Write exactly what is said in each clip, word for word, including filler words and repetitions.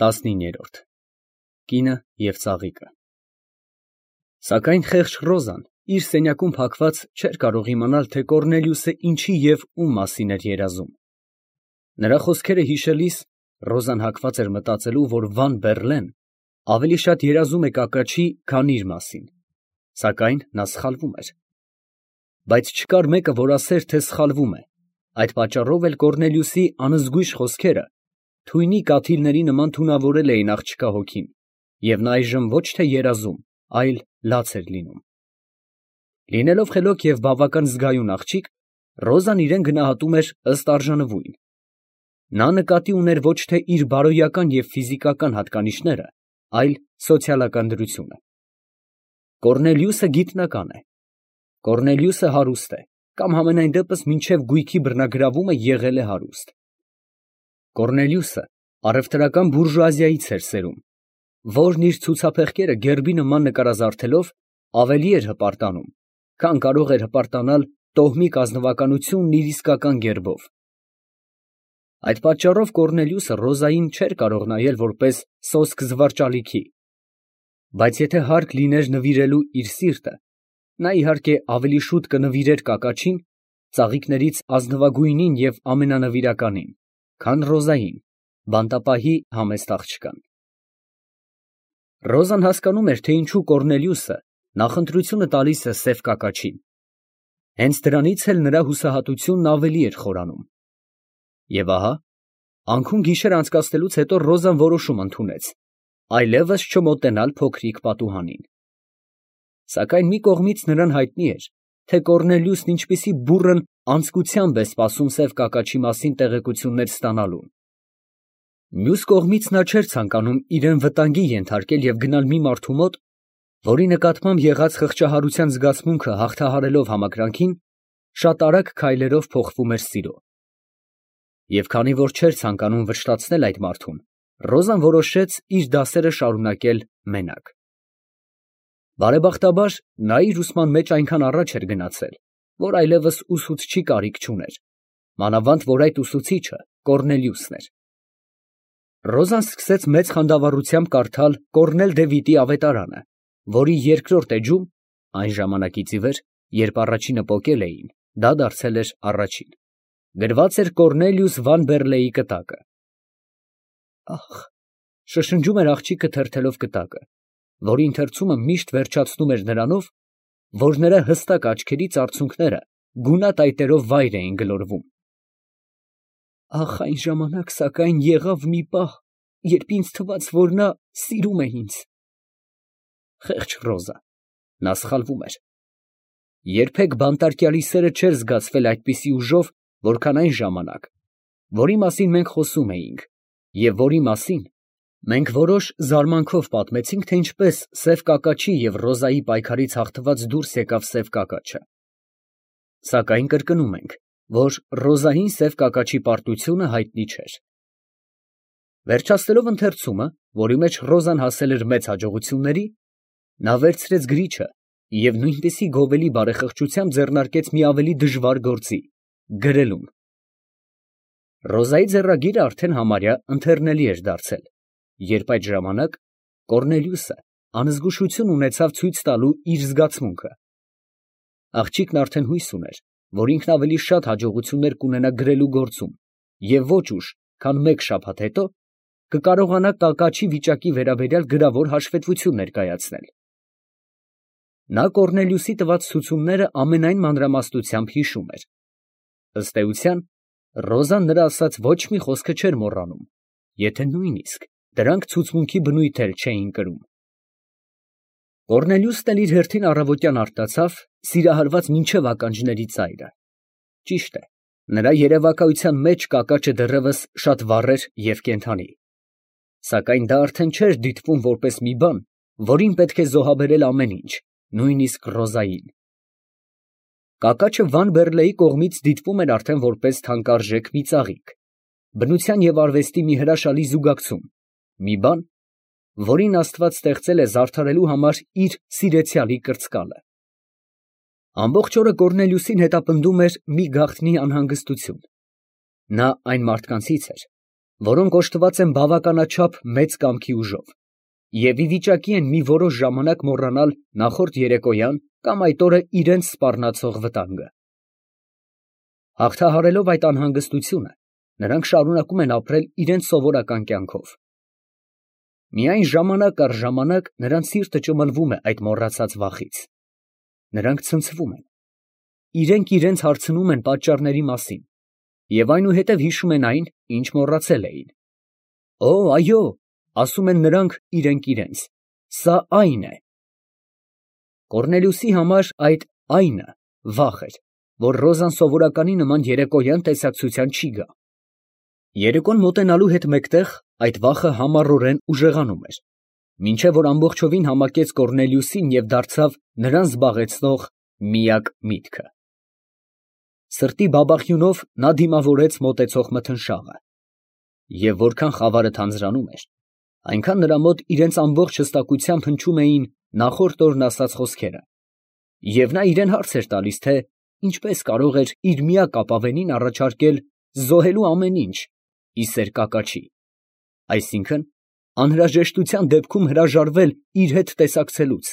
տասնիններորդ Կինը և ծաղիկը Սակայն խեղճ Ռոզան իր սենյակում փակված չէր կարող իմանալ, թե Կոռնելիուսը ինչի և ում մասին էր երազում. նրա խոսքերը հիշելիս, Ռոզան հակված էր մտածելու, որ Վան Բեռլեն ավելի շատ երազում է կակաչի, քան իր մասին, սակայն նա սխալվում էր. բայց չկար մեկը, որ ասեր, թե սխալվում է, այդ պատճառով էլ Կոռնելիուսի անզգույշ խոսքերը թույնի կաթիլների նման թունավորել էին աղջկա հոգին, և նա այժմ ոչ թե երազում, այլ լաց էր լինում։ Լինելով խելոք և բավական զգայուն աղջիկ, Ռոզան իրեն գնահատում էր ըստ արժանվույն. նա նկատի ուներ ոչ թե իր բարոյական և ֆիզիկական հատկանիշները, այլ սոցիալական դրությունը։ Կոռնելիուսը գիտնական է, Կոռնելիուսը հարուստ է, կամ համենայն դեպս մինչև գույքի բռնագրավումը եղել է հարուստ։ Կոռնելիուսը առևտրական բուրժուազիայից էր սերում, որն իր ցուցափեղկերը գերբի նման նկարազարդելով ավելի էր հպարտանում, քան կարող էր հպարտանալ տոհմիկ ազնվականությունն իր իսկական գերբով։ Այդ պատճառով Կոռնելիուսը Ռոզային չէր կարող նայել որպես սոսկ զվարճալիքի, բայց եթե հարկ լիներ նվիրելու իր սիրտը, նա իհարկե ավելի շուտ կնվիրեր կակաչին, ծաղիկներից ազնվագույնին և ամենանվիրականին, քան Ռոզային, բանտապահի համեստ աղջկան։ Ռոզան հասկանում էր, թե ինչու Կոռնելիուսը նախընտրությունը տալիս է սև կակաչին. հենց դրանից էլ նրա հուսահատությունն ավելի էր խորանում։ Եվ ահա, անքուն գիշեր անցկացնելուց հետո Ռոզան որոշում ընդունեց այլևս չմոտենալ փոքրիկ պատուհանին։ Սակայն մի կողմից նրան հայտնի էր, թե Կոռնելիուսն ինչպիսի բուռն անձկությամբ է սպասում սև կակաչի մասին տեղեկություններ ստանալուն։ Մյուս կողմից նա չէր ցանկանում իրան վտանգի ենթարկել և գնալ մի մարդու մոտ, որի նկատմամբ եղած խղճահարության զգացմունքը հաղթահարելով համակրանքին, շատ արագ քայլերով փոխվում էր սիրո։ Եվ քանի որ չէր ցանկանում վշտացնել այդ մարդուն, Ռոզան որոշեց իր դասերը շարունակել մենակ։ Բարեբախտաբար, նա իր ուսման մեջ այնքան առաջ էր գնացել, որ այլևս ուսուցչի կարիք չուներ, մանավանդ որ այդ ուսուցիչը Կոռնելիուսն էր։ Ռոզան սկսեց մեծ խանդավառությամբ կարդալ Կոռնել դե Վիտի ավետարանը, որի երկրորդ էջում, այն ժամանակից ի վեր, երբ առաջինը պոկել էին, դա դարձել էր առաջին, գրված էր Կոռնելիուս Վան Բեռլեի կտակը։ Ախ, շշնջում էր աղջիկը թերթելով կտակը, որի ընթերցումը միշտ վերջացնում էր նրանով, որ նրա հստակ աչքերից արցունքները գունատ այտերով վայր էին գլորվում։ Ախ, այն ժամանակ, սակայն, եղավ մի պահ, երբ ինձ թվաց, որ նա սիրում է ինձ։ Խեղճ Ռոզա, նա սխալվում էր։ Երբեք բանտարկյալի սերը չէր զգացվել այդպիսի ուժով, որքան այն ժամանակ, որի մասին մենք խոսում էինք, և որի մասին մենք որոշ զարմանքով պատմեցինք, թե ինչպես սև կակաչի և Ռոզայի պայքարից հաղթված դուրս եկավ սև կակաչը։ Սակայն կրկնում ենք, որ Ռոզային սև կակաչի պարտությունը հայտնի չէր։ Վերջացնելով ընթերցումը, որի մեջ Ռոզան հասել էր մեծ հաջողությունների, նա վերցրեց գրիչը և նույնպիսի գովելի բարեխղճությամբ ձեռնարկեց մի ավելի դժվար գործի՝ գրելուն։ Ռոզայի ձեռագիրը արդեն համարյա ընթեռնելի էր դարձել, երբ այդ ժամանակ Կոռնելիուսը անզգուշություն ունեցավ ցույց տալու իր զգացմունքը։ Աղջիկն արդեն հույս ուներ, որ ինքն ավելի շատ հաջողություններ կունենա գրելու գործում և ոչ ուշ, քան մեկ շաբաթ հետո, կկարողանա կակաչի վիճակի վերաբերյալ գրավոր հաշվետվություն ներկայացնել։ Նա Կոռնելիուսի տված ցուցումները ամենայն մանրամասնությամբ հիշում էր։ Ըստ էության, Ռոզան նրա ասած ոչ մի խոսքը չէր մոռանում, եթե նույնիսկ դրանք ցուցմունքի բնույթ էլ չէին կրում։ Կոռնելիուսն էլ իր հերթին առավոտյան արթնացավ, սիրահարված մինչև ականջների ծայրը։ Ճիշտ է, նրա երևակայության մեջ կակաչը դեռևս շատ վառ էր և կենդանի, սակայն դա արդեն չէր դիտվում որպես մի բան, որին պետք է զոհաբերել ամեն ինչ, նույնիսկ Ռոզային։ Կակաչը Վան Բեռլեի կողմից դիտվում էր արդեն որպես թանկարժեք մի ծաղիկ, բնության և արվեստի մի հրաշալի զուգակցում, մի բան, որին Աստված ստեղծել է զարդարելու համար իր սիրեցյալի կրծկալը։ Ամբողջ օրը Կոռնելիուսին հետապնդում էր մի գաղտնի անհանգստություն։ Նա այն մարդկանցից էր, որոնք օժտված են բավականաչափ մեծ կամքի ուժով և ի վիճակի են մի որոշ ժամանակ մոռանալ նախորդ երեկոյան կամ այդ օրը իրենց սպառնացող վտանգը։ Հաղթահարելով այդ անհանգստությունը, նրանք շարունակում են ապրել իրենց սովորական կյանքով։ Միայն ժամանակ առ ժամանակ նրանց սիրտը ճմլվում է այդ մոռացած վախից։ Նրանք ցնցվում են։ Իրենք իրենց հարցնում են պատճառների մասին և այնուհետև հիշում են այն, ինչ մոռացել էին։ Օ, այո, ասում են նրանք իրենք իրենց, սա այն է։ Կոռնելիուսի համար այդ այնը վախ էր, որ Ռոզան սովորականի նման երեկոյան տեսակցության չի գա։ Երեկոն մոտենալու հետ մեկտեղ այդ վախը համառորեն ուժեղանում էր, մինչև որ ամբողջովին համակեց Կոռնելիուսին և դարձավ նրան զբաղեցնող միակ միտքը։ Սրտի բաբախյունով նա դիմավորեց մոտեցող մթնշաղը, և որքան խավարը թանձրանում էր, այնքան նրա մոտ իրենց ամբողջ հստակությամբ հնչում էին նախորդ օրն ասած խոսքերը, և նա իրան հարց էր տալիս, թե ինչպես կարող էր իր միակ ապավենին առաջարկել զոհելու ամեն ինչ ի սեր կակաչի, այսինքն անհրաժեշտության դեպքում հրաժարվել իր հետ տեսակցելուց,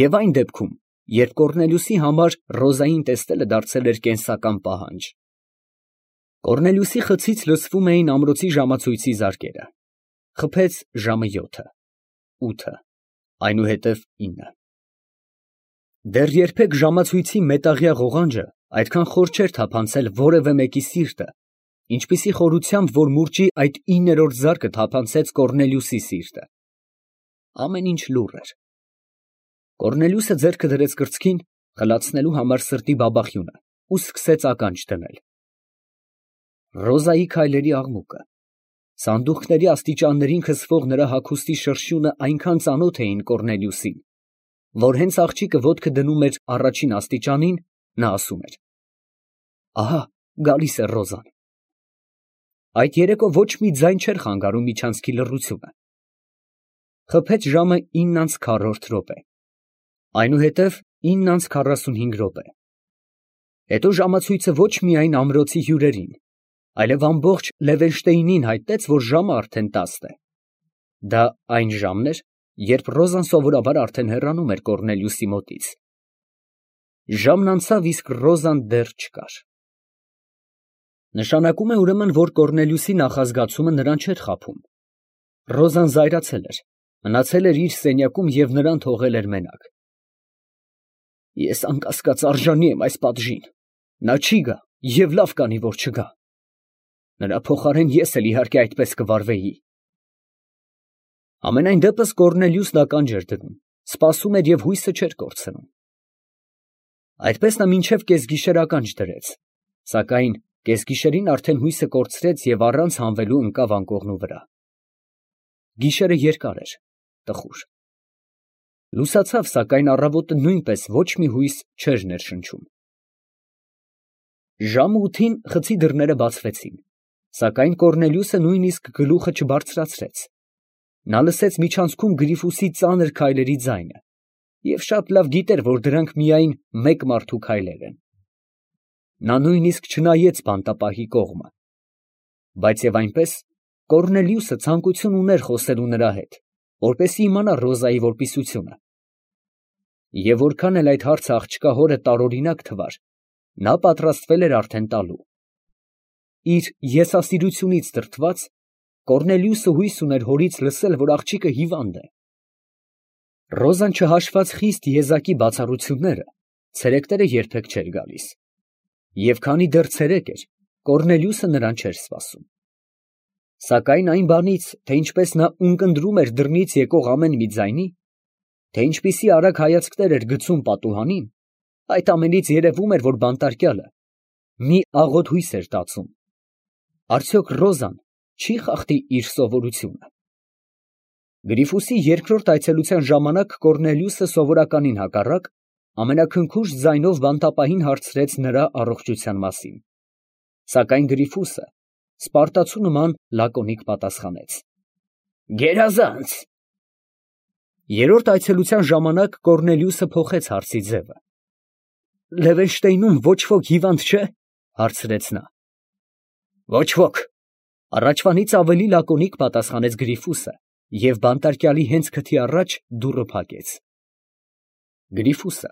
և այն դեպքում, երբ Կոռնելիուսի համար Ռոզային տեսնելը դարձել էր կենսական պահանջ։ Կոռնելիուսի խցից լսվում էին ամրոցի ժամացույցի զարկերը։ Խփեց ժամը յոթը, ութը, այնուհետև ինը։ Դեռ երբեք ժամացույցի մետաղյա ղողանջը այդքան խոր չէր թափանցել որևէ մեկի սիրտը, ինչպիսի խորությամբ, որ մուրճի այդ իններորդ զարկը թափանցեց Կոռնելիուսի սիրտը։ Ամեն ինչ լուռ էր։ Կոռնելիուսը ձեռքը դրեց կրծքին, խլացնելու համար սրտի բաբախյունը, ու սկսեց ականջ դնել։ Ռոզայի քայլերի աղմուկը, սանդուղքների աստիճաններին քսվող նրա հագուստի շրշյունը այնքան ծանոթ էին Կոռնելիուսին, որ հենց աղջիկը ոտքը դնում էր առաջին աստիճանին, նա ասում էր. «Ահա գալիս է Ռոզան»։ Այդ երեկո ոչ մի ձայն չէր խանգարում միջանցքի լռությունը։ Խփեց ժամը ինն անց քառորդ րոպե, այնուհետև ինն անց քառասունհինգ րոպե։ Հետո ժամացույցը ոչ միայն ամրոցի հյուրերին, այլև ամբողջ Լևենշտեյնին հայտնեց, որ ժամը արդեն տասն է։ Դա այն ժամն էր, երբ Ռոզան սովորաբար արդեն հեռանում էր Կոռնելիուսի մոտից։ Ժամն անցավ, իսկ Ռոզան դեռ չկար։ Նշանակում է ուրեմն, որ Կոռնելիուսի նախազգացումը նրան չէր խաբում։ Ռոզան զայրացել էր, մնացել էր իր սենյակում և նրան թողել էր մենակ։ Ես անկասկած արժանի եմ այս պատժին։ Նա չի գա և լավ կանի, որ չգա։ Նրա փոխարեն ես էլ իհարկե այդպես կվարվեի։ Համենայն դեպս Կոռնելիուսն ականջ էր դնում, սպասում էր և հույսը չէր կորցնում։ Այդպես նա մինչև կեսգիշեր ականջ դրեց, սակայն կեսգիշերին արդեն հույսը կորցրեց և առանց հանվելու ընկավ անկողնու վրա։ Գիշերը երկար էր, տխուր։ Լուսացավ, սակայն առավոտը նույնպես ոչ մի հույս չէր ներշնչում։ Ժամը ութին խցի դռները բացվեցին, սակայն Կոռնելիուսը նույնիսկ գլուխը չբարձրացրեց։ Նա լսեց միջանցքում Գրիֆուսի ծանր քայլերի ձայնը և շատ լավ գիտեր, որ դրանք միայն մեկ մարդու քայլեր են։ Նա նույնիսկ չնայեց բանտապահի կողմը։ Բայց և այնպես Կոռնելիուսը ցանկություն ուներ խոսելու նրա հետ, որպեսզի իմանա Ռոզայի որպիսությունը։ Եվ որքան էլ այդ հարցը աղջկա հորը տարօրինակ թվար, նա պատրաստվել էր արդեն տալու։ Իր եսասիրությունից դրդված, Կոռնելիուսը հույս ուներ հորից լսել, որ աղջիկը հիվանդ է։ Ռոզան չհաշված խիստ եզակի բացառությունները, ցերեկները երբեք չէր գալիս։ Եվ քանի դեռ ցերեկ էր, Կոռնելիուսը նրան չէր սպասում։ Սակայն այն բանից, թե ինչպես նա ունկնդրում էր դռնից եկող ամեն մի ձայնի, թե ինչպիսի արագ հայացքներ էր գցում պատուհանին, այդ ամենից երևում էր, որ բանտարկյալը մի աղոտ հույս էր տածում։ Արդյոք Ռոզան չի խախտի իր սովորությունը։ Գրիֆուսի երկրորդ այցելության ժամանակ Կոռնելիուսը սովորականին հակառակ ամենաքնքուշ ձայնով բանտապահին հարցրեց նրա առողջության մասին, սակայն Գրիֆուսը սպարտացու նման լակոնիկ պատասխանեց. «Գերազանց»։ Երրորդ այցելության ժամանակ Կոռնելիուսը փոխեց հարցի ձևը։ «Լևենշտեյնում ոչ ոք հիվանդ չէ՞, հարցրեց նա։ «Ոչ ոք», Առաջվանից ավելի լակոնիկ պատասխանեց Գրիֆուսը և բանտարկյալի հենց քթի առաջ դուռը փակեց։ Գրիֆուսը,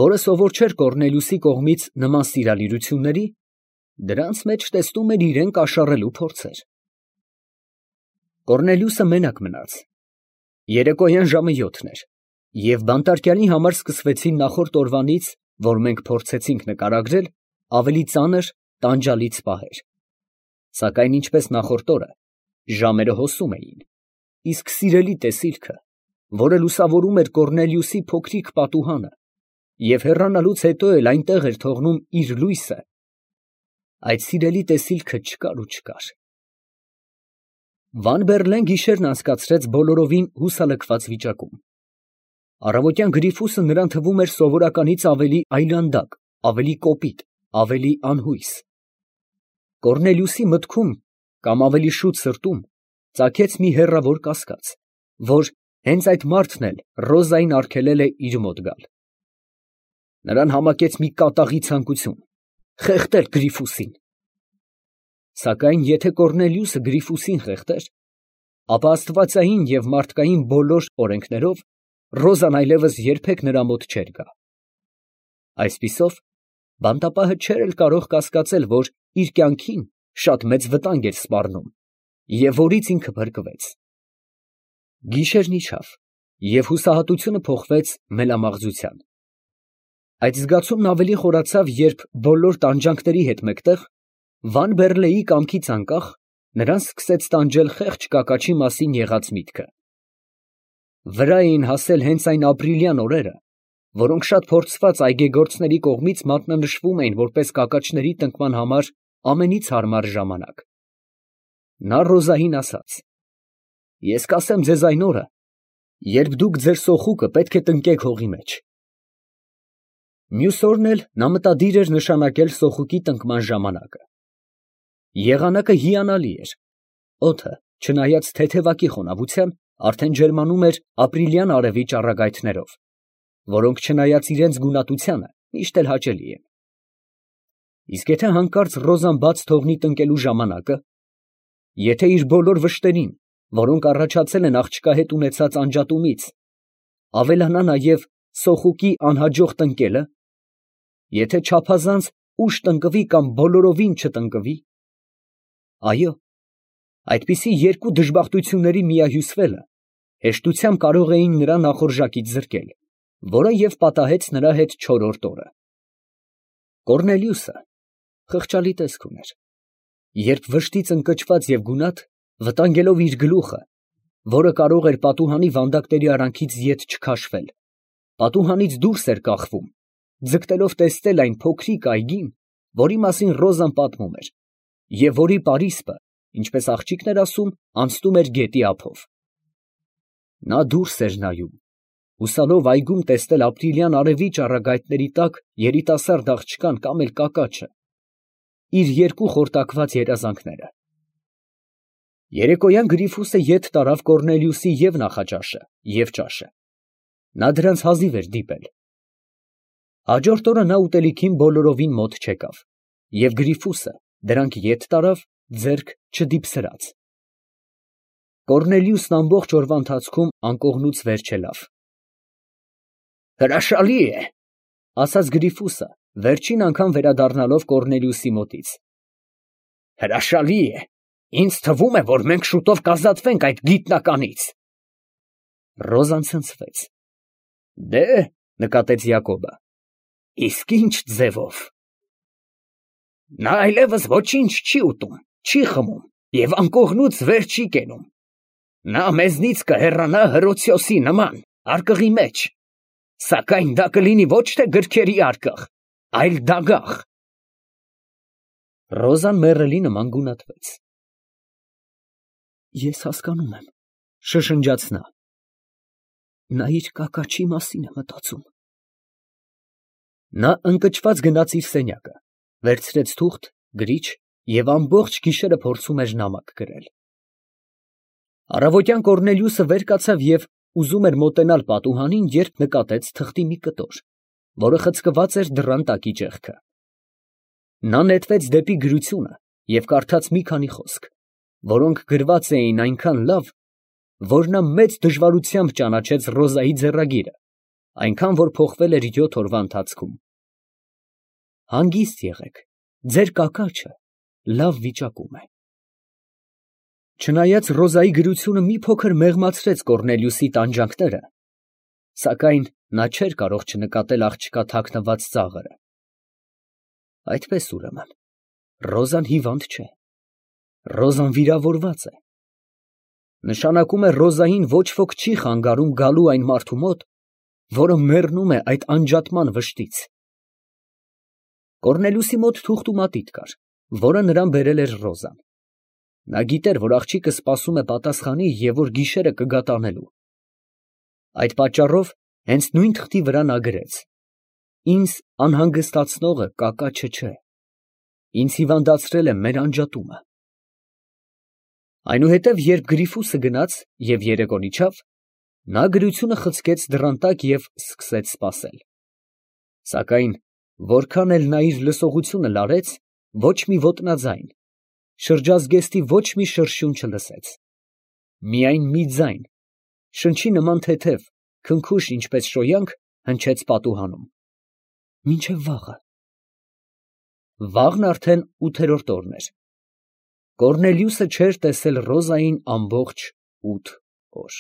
որը սովոր չէր Կոռնելիուսի կողմից նման սիրալիրությունների, դրանց մեջ տեսնում էր իրան կաշառելու փորձեր։ Կոռնելիուսը մենակ մնաց։ Երեկոյան ժամը յոթն էր, և բանտարկյալի համար սկսվեցին նախորդ օրվանից, որ մենք փորձեցինք նկարագրել, ավելի ծանր տանջալից պահեր։ Սակայն ինչպես նախորդ օրը, ժամերը հոսում էին, իսկ սիրելի տեսիլքը, որը լուսավորում էր Կոռնելիուսի փոքրիկ պատուհանը և հեռանալուց հետո էլ այնտեղ էր թողնում իր լույսը, այդ սիրելի տեսիլքը չկար ու չկար։ Վան Բեռլեն գիշերն անցկացրեց բոլորովին հուսալքված վիճակում։ Առավոտյան Գրիֆուսը նրան թվում էր սովորականից ավելի այլանդակ, ավելի կոպիտ, ավելի անհույս։ Կոռնելիուսի մտքում, կամ ավելի շուտ սրտում, ծագեց մի հեռավոր կասկած, որ հենց այդ մարդն էլ Ռոզային արգելել է իր մոտ գալ։ Նրան համակեց մի կատաղի ցանկություն խեղդել Գրիֆուսին։ Սակայն եթե Կոռնելիուսը Գրիֆուսին խեղդեր, ապա աստվածային և մարդկային բոլոր օրենքներով Ռոզան այլևս երբեք նրա մոտ չէր գա։ Այսպիսով, բանտապահը չէր էլ կարող կասկածել, որ իր կյանքին շատ մեծ վտանգ էր սպառնում և որից ինքը փրկվեց։ Գիշերն իջավ, և հուսահատությունը փոխվեց մելամաղձության։ Այդ զգացումն ավելի խորացավ, երբ բոլոր տանջանքների հետ մեկտեղ, Վան Բեռլեի կամքից անկախ, նրան սկսեց տանջել խեղճ կակաչի մասին եղած միտքը։ Վրա էին հասել հենց այն ապրիլյան օրերը, որոնք շատ փորձված այգեգործների կողմից մատնանշվում էին որպես կակաչների տնկման համար ամենից հարմար ժամանակ։ Նա Ռոզային ասաց. «Ես կասեմ ձեզ այն օրը, երբ դուք ձեր սոխուկը պետք է տնկեք հողի մեջ»։ Մյուս օրն էլ նա մտադիր էր նշանակել սոխուկի տնկման ժամանակը։ Եղանակը հիանալի էր։ Օդը, չնայած թեթևակի խոնավության, արդեն ջերմանում էր ապրիլյան արևի ճառագայթներով, որոնք չնայած իրենց գունատությանը, միշտ էլ հաճելի են։ Իսկ եթե հանկարծ Ռոզան բաց թողնի տնկելու ժամանակը, եթե իր բոլոր վշտերին, որոնք առաջացել են աղջկա հետ ունեցած անջատումից, ավելանա նաև սոխուկի անհաջող տնկելը, եթե չափազանց ուշ տնկվի կամ բոլորովին չտնկվի, այո, այդպիսի երկու դժբախտությունների միահյուսվելը հեշտությամբ կարող էին նրան նախորժակից զրկել, որը և պատահեց նրա հետ չորրորդ օրը։ Կոռնելիուսը խղճալի տեսք ուներ, երբ վշտից ընկճված և գունատ, վտանգելով իր գլուխը, որը կարող էր պատուհանի վանդակների արանքից ետ չքաշվել, պատուհանից դուրս էր կախվում, ձգտելով տեսնել այն փոքրիկ այգին, որի մասին Ռոզան պատմում էր, և որի պարիսպը, ինչպես աղջիկն էր ասում, անցնում էր գետի ափով։ Նա դուրս էր նայում, հուսալով այգում տեսնել ապրիլյան արևի ճառագայթների տակ երիտասարդ աղջկան կամ էլ կակաչը, իր երկու խորտակված երազանքները։ Երեկոյան Գրիֆուսը ետ տարավ Կոռնելիուսի և նախաճաշը, և ճաշը։ Նա դրանց հազիվ էր դիպել։ Հաջորդ օրը նա ուտելիքին բոլորովին մոտ չեկավ, և Գրիֆուսը դրանք ետ տարավ ձեռք չդիպսրած։ Կոռնելիուսն ամբողջ օրվա ընթացքում անկողնուց վեր չելավ։ «Հրաշալի է», ֊ ասաց Գրիֆուսը, վերջին անգամ վերադառնալով Կոռնելիուսի մոտից։ «Հրաշալի է, ինձ թվում է, որ մենք շուտով կազատվենք այդ գիտնականից»։ Ռոզան ցնցվեց։ «Դե, ֊ նկատեց Յակոբը, ֊ իսկ ի՞նչ ձևով»։ «Նա այլևս ոչինչ չի ուտում, չի խմում և անկողնուց վեր չի կենում։ Նա մեզնից կհեռանա հրոցյոսի նման արկղի մեջ, սակայն դա կլինի ոչ թե գրքերի արկղ, այլ դագաղ»։ Ռոզան մեռելի նման գունատվեց։ «Ես հասկանում եմ, ֊ շշնջաց նա, ֊ նա իր կակաչի մասին է մտածում»։ Նա ընկճված գնաց իր սենյակը, վերցրեց թուղթ, գրիչ և ամբողջ գիշերը փորձում էր նամակ գրել։ Առավոտյան Կոռնելիուսը վեր կացավ և ուզում էր մոտենալ պատուհանին, երբ նկատեց թղթի մի կտոր, որը խցկված էր դռան տակի ճեղքը։ Նա նետվեց դեպի գրությունը և կարդաց մի քանի խոսք, որոնք գրված էին այնքան լավ, որ նա մեծ դժվարությամբ ճանաչեց Ռոզայի ձեռագիրը, այնքան որ փոխվել էր յոթ օրվա ընթացքում։ Հանգիստ եղեք, ձեր կակաչը լավ վիճակում է։ Չնայած Ռոզայի գրությունը մի փոքր մեղմացրեց Կոռնելիուսի տանջանքները, սակայն նա չէր կարող չնկատել աղջկա թաքնված ծաղրը։ Այդպես ուրեմն, Ռոզան հիվանդ չէ, Ռոզան վիրավորված է։ Նշանակում է Ռոզային ոչ ոք չի խանգարում գալու այն մարդու մոտ, որը մեռնում է այդ անջատման վշտից։ Կոռնելիուսի մոտ թուղթ ու մատիտ կար, որը նրան բերել էր Ռոզան։ Նա գիտեր, որ աղջիկը սպասում է պատասխանի և որ գիշերը կգա տանելու։ Այդ պատճառով հենց նույն թղթի վրա նա գրեց. «Ինձ անհանգստացնողը կակաչը չէ, ինձ հիվանդացրել է մեր անջատումը»։ Այնուհետև, երբ Գրիֆուսը գնաց և երեկոն իջավ, նա գրությունը խցկեց դռան տակ և սկսեց սպասել։ Սակայն որքան էլ նա իր լսողությունը լարեց, ոչ մի ոտնաձայն, շրջազգեստի ոչ մի շրշյուն չլսեց։ Միայն մի ձայն, շնչի նման թեթև, քնքուշ ինչպես շոյանք, հնչեց պատուհանում։ Մինչև վաղը։ Վաղն արդեն ութերորդ օրն էր։ Կոռնելիուսը չէր տեսել Ռոզային ամբողջ ութ օր։